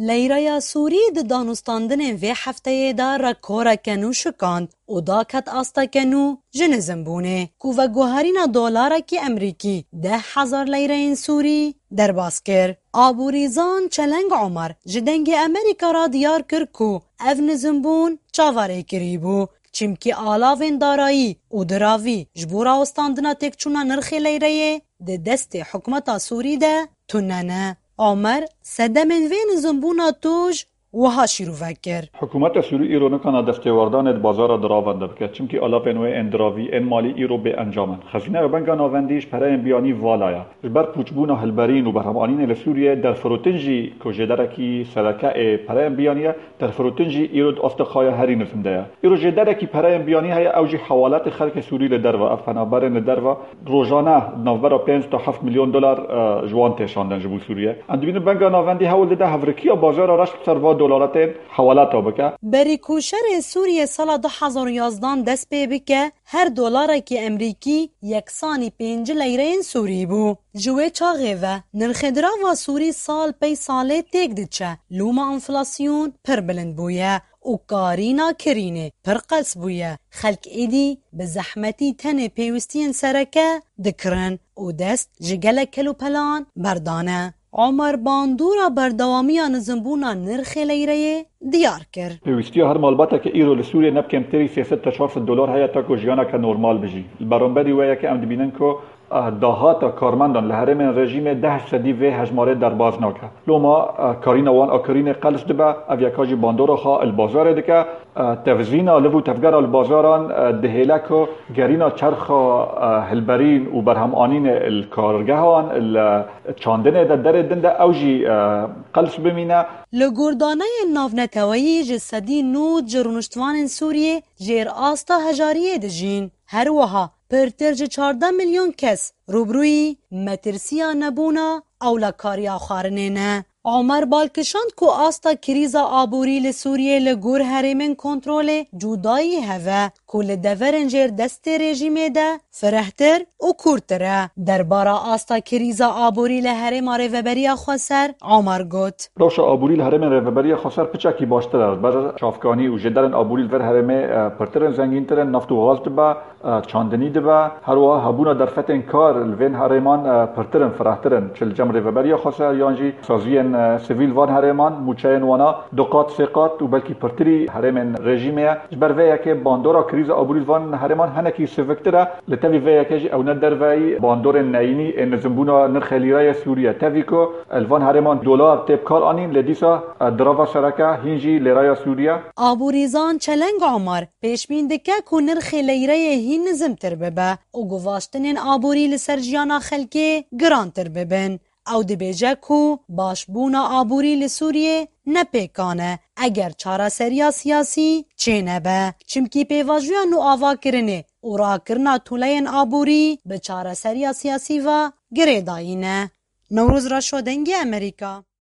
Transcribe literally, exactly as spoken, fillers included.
Leyreya Sûrî di danûstandinên vê hefteyê de rekoreke nû şikand û daket asteke nû ji nizimbûnê, ku veguherîna dolarekî Emerîkî deh hezar leyreyên Sûrî derbas kir. Aborîzan Çeleng Omer ji Dengê Emerîka re diyar kir ku ev nizimbûn çaverêkirî bû, çimkî alavên darayî û diravî ji bo rawestandina têkçûna nirxê leyreyê di destê hikûmeta Sûrî de tune ne. Omer sedemên vê nizimbûna tûj wiha şîrove kir. Hikûmeta Sûrî îro nikana destêwerdanê di bazara diravan de bike, çimkî alavên wê ên diravî, ên malî îro bê encam in. Xezîneya Banka Navendî ji pereyên biyanî vala ye. Ji ber pûçbûna hilberîn û berhemanînê li Sûriyeyê derfirotin jî ku jêderekî sereke ê pereyên biyanî ye, derfirotin jî îro di asta xwe ya herî nizm de ye. Îro jêderekî pereyên biyanî heye, ew jî hewaletê xelkê Sûrî li derve, ev penaberên li derve rojane di navbera pênc ta heft milyon dolar, e, ji wan tê şandin ji bo Sûriye. Em dibînin Banka Navendî hewl dide hevrikiya bazara reş li ser va dolaretên hewaleta bike. Berî ku şerê Sûriyê sala du hezar û yazdan dest pê bike, her dolarekî Emerîkî yeksanî pênc leyreyên Sûrî bû. Ji wê çaxê ve nirxê dirava Sûrî sal pey salê têk diçe. Lûma enflasyon pir bilind bûye û karîna kirînê pir qels bûye. Xelk êdî bi zehmetî tenê pêwîstiyên sereke dikirin û dest ji gelek kelûpelan berdane. Omer bandora berdewamiya nizimbûna nirxê leyreyê diyar kir. Pêwîstiya her malbateke îro li Sûriyê ne bi kêmtirî sê sed ta çar sed dolar heye ta ku jiyaneke normal bijî. Li beramberî wê yekê em dibînin ku, eh, dahata karmendan li herêmên rejîmê deh sedî vê hejmarê derbas nake. Loma, eh, karîna wan a kirînê qels dibe, ev yeka jî bandora xwe li bazarê dike. Eh, tevzîna liv û tevgera li bazaran, eh, dihêle ku gerîna çerxa, eh, hilberîn û berhemanînê li kargehan, li çandinê de derê din de ew jî, eh, qels bimîne. Li gordaneyên navneteweyî ji sedî nod ji rûniştvanên Sûriyê jêr asta hejariyê dijîn. Her wiha pirtir ji çardeh milyon kes rûbirûyî metirsiya nebûna ewlekariya xwarinê ne. Omer bal kişand ku asta krîza aborî li Sûriyê li gor herêmên kontrolê cudayî heve ku li deverên jêr destê rejîmê de firehtir û kûrtir e. Derbara asta krîza aborî li herêma Rêveberiya Xweser, Omer got. Rewşa aborî li herêmên Rêveberiya Xweser piçekî baştir e. Ji ber çavkanî û jêderên aborî li vir herêmê, e, pirtir in, zengîntir in, neft û gaz dibe, e, çandinî dibe. Her wiha hebûna derfetên kar li vên herêman, e, pirtir in, firehtir in. Çi li cem Rêveberiya Xweser yan jî saziyên, e, sivîl van herêman, mûçeyên wana du qat, sê qat û belkî pirtirî herêmên rejîmê ye. Ji ber vê yekê bandora krîza aborî li van herêman hinekî siviktir e. Li tevî vê yekê jî ew ne derveyî bandorên neyînî ên nizimbûna nirxê lîreyê Sûrî ye. Tevî ku li van herêman dolar tê bi kar anîn, lê dîsa, e, dirava sereke hîn jî lêreya Sûrî ye. Aborîzan Çeleng Omer pêşbîn dike ku nirxê leyreyê hîn nizimtir bibe û guvaştinên aborî li ser jiyana xelkê girantir bibin. Ew dibêje ku başbûna aborî li Sûriyê ne pêkan e eger çareseriya siyasî çênebe. Çimkî pêvajoya nûavakirinê û rakirina tûleyên aborî bi çareseriya siyasî ve girêdayî ne. Newroz Reşo, Dengê Emerîka.